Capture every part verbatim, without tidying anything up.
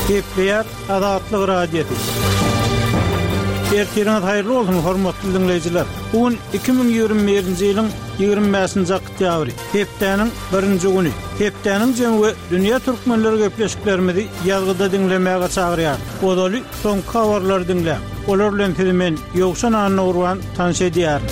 Gepleýär Azatlyk Radiosy. Ertiriňiz haýyrly bolsun, hormatly diňleýjiler. Bu gün iki müň ýigrimi birinji ýylyň ýigrimi bäşinji oktýabry, hepdäniň birinji güni. Hepdäniň jemi we dünýä türkmenleri gepleşiklerimizi ýazgyda diňlemäge çagyrýar. Ozaly soňky habarlary diňläň. Olar bilen sizi men Ýowşan Annagurban tanyş edýärin.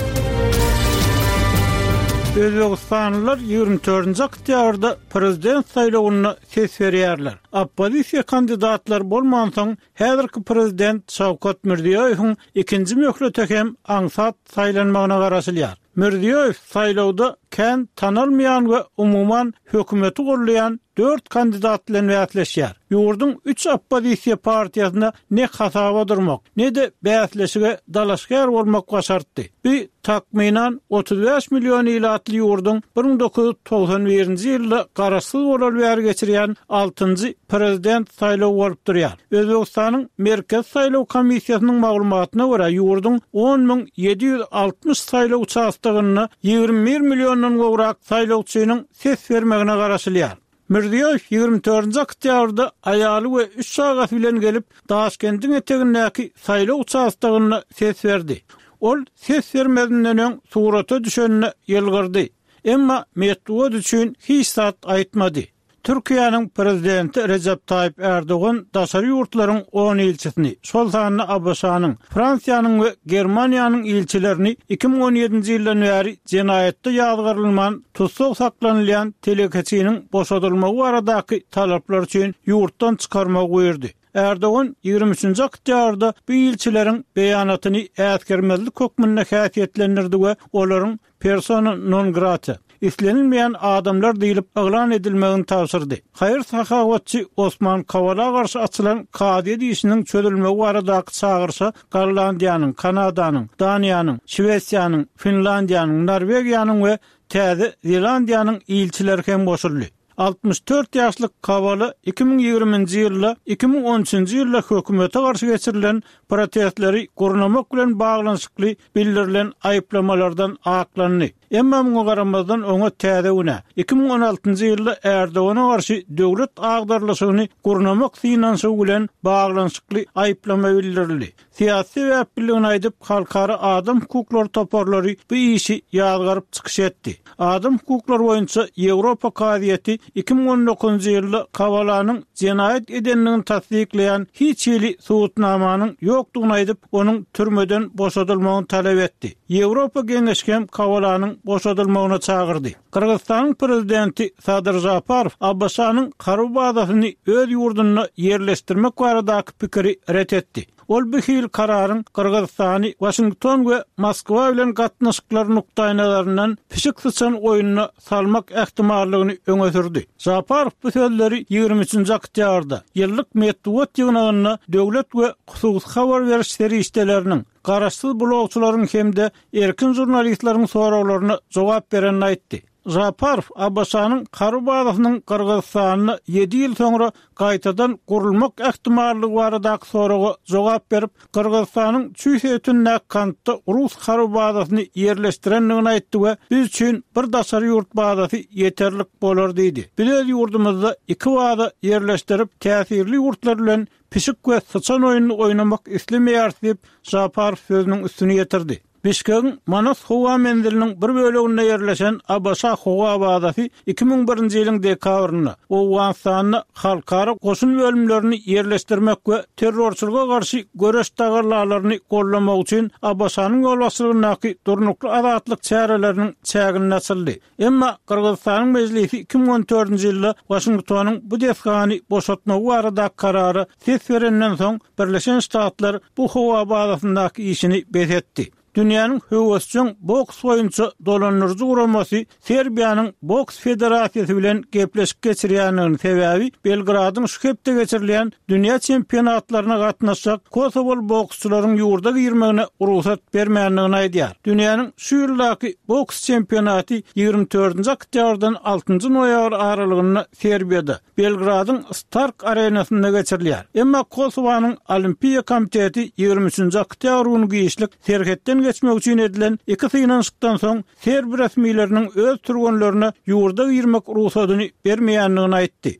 Özbegistanlylar ýigrimi dördünji oktýabrda prezident saýlawynda ses berýärler. Oppozisiýa kandidatlary bolmansoň, häzirki prezident Şawkat Mirziýoýewiň ikinji möhlete hem aňsat saýlanmagyna garaşylýar. Mirziýoýew saýlawda kän tanalmaýan we umuman hökümeti goldaýan dört kandidat bilen bäsleşýär. Ýurduň üç oppozisiýa partiýasyna ne hasaba durmak, ne-de bäsleşige dalaşgär bolmak başartdy. Bu takmynan otuz bäş million ilatly ýurduň bir müň dokuz ýüz togsan birinji ýylda garaşsyz bolar bäri geçirýän altynjy prezident saýlawy bolup durýar. Özbegistanyň Merkezi saýlaw komissiýasynyň maglumatyna görä ýurduň on müň ýedi ýüz altmyş saýlaw uçastogynda ýigrimi bir milliondan gowrak saýlawçynyň ses bermegine garaşylýar. Mirziýoýew ýigrimi dördünji oktýabrda aýaly we üç çagasy bilen gelip, Daşkendiň etegindäki saýlaw uçastogynda ses berdi. Ol ses bermezinden öň surata düşenine ýylgyrdy. Emma metbugat üçin hiç zat aýtmady. Türkiýäniň prezidenti Rejep Taýyp Erdogan daşary ýurtlaryň on ilçisini, şol sanda ABŞ-nyň, Fransiýanyň we Germaniýanyň ilçilerini iki müň on ýedinji ýyldan bäri jenaýatda ýazgarylman tussag saklanylýan telekeçiniň boşadylmagy baradaky talaplar üçin ýurtdan çykarmagy buýurdy. Erdogan ýigrimi üçünji oktýabrda bu ilçileriň beýanatyny äsgermezlik hökmünde häsiýetlendirdi we olaryň persona non grata, islenilmeýän adamlar diýlip yglan edilmegini tabşyrdy. Haýyr sahawatçy Osman Kavala garşy açylan kazyýet işiniň çözülmegi baradaky çagyryşa Gollandiýanyň, Kanadanyň, Daniýanyň, Şwesiýanyň, Finlandiýanyň, Norwegiýanyň we Täze Zelandiýanyň ilçileri hem goşuldy. Altmyş dört ýaşly Kavala iki müň ýigriminji ýylda iki müň on üçünji ýylda hökümete garşy geçirilen protestleri gurnamak bilen baglanyşykly bildirilen aýyplamalardan aklandy. Emma muňa garamazdan oňa täze günä iki müň on altynjy ýylda Erdogana garşy döwlet agdarlyşygyny gurnamak synanyşygy bilen baglanyşykly aýyplama bildirildi. Syýasy sebäpligini aýdyp, halkara adam hukuklary toparlary bu işi ýazgaryp çykyş etdi. Adam hukuklary boýunça Ýewropa kazyýeti iki müň on dokuzynjy ýylda Kavalanyň jenaýat edendigini tassyklaýan hiç hili subutnamanyň ýokdugyny aýdyp, onuň türmeden boşadylmagyny talap etdi. Ýewropa Geňeşi hem Kavalanyň boşadylmagyna çagyrdy. Gyrgyzystanyň prezidenti Sadyr Žaparow ABŞ-nyň harby bazasyny öz ýurdunda ýerleşdirmek baradaky pikiri ret etdi. Ol bu hil kararyň Gyrgyzystany, Waşington we Moskwa bilen gatnaşyklar nukdaýnalaryndan pişik syçan oýnuna salmak ähtimallygyny öňe sürdi. Žaparow bu sözleri ýigrimi üçünji oktýabrda ýyllyk metbugat ýygnagynda döwlet we hususy habar beriş serişdeleriniň, garaşsyz blogçylaryň hem-de erkin žurnalistleriň soraglaryna jogap berenini aýtdy. Žaparow ABŞ-nyň harby bazasynyň Gyrgyzystanda ýedi ýyl soňra gaýtadan gurulmak ähtimallygy baradaky soraga jogap berip, Gyrgyzystanyň Çuý sebitindäki Kantda rus harby bazasyny ýerleşdirendigini aýtdy we biz üçin bir daşary ýurt bazasy ýeterlik bolar diýdi. Biz öz ýurdumyzda iki baza ýerleşdirip, täsirli ýurtlar bilen pişik we syçan oýnuny oýnamak islemeýäris diýip, Žaparow sözüniň üstüni ýetirdi. Bişkegiň Manas howa menziliniň bir böleginde ýerleşen ABŞ howa bazasy iki müň birinji ýylyň dekabrynda Owganystanda halkara goşun bölümlerini ýerleşdirmek we terrorçylyga garşy göreş tagallalaryny goldamak üçin ABŞ-nyň ýolbaşçylygyndaky durnukly azatlyk çäreleriniň çäginde açyldy. Emma Gyrgyzystanyň mejlisi iki müň on dördünji ýylda Waşingtonyň bu desgany boşatmagy baradaky karara ses berenden soň Birleşen Ştatlar bu howa bazasyndaky işini bes etdi. Dünýäniň höwesjeň boks boýunça dolandyryjy guramasy Serbiýanyň Boks Federasiýasy bilen gepleşik geçirýändigini sebäbi Belgradyň şu hepde geçirilýän dünýä çempionatlaryna gatnaşjak kosowaly boksçularyň ýurda girmegine rugsat bermändigini aýdýar. Dünýäniň şu ýyldaky boks çempionaty ýigrimi dördünji oktýabrdan altynjy noýabr aralygynda Serbiýada, Belgradyň Stark arenasynda geçirilýär. Emma Kosowanyň Olimpiýa komiteti ýigrimi üçünji oktýabr güni giçlik serhetden geçmek üçin edilen iki synanyşykdan soň serb resmileriniň öz türgenlerine ýurda girmek rugsadyny bermeýändigini aýtdy.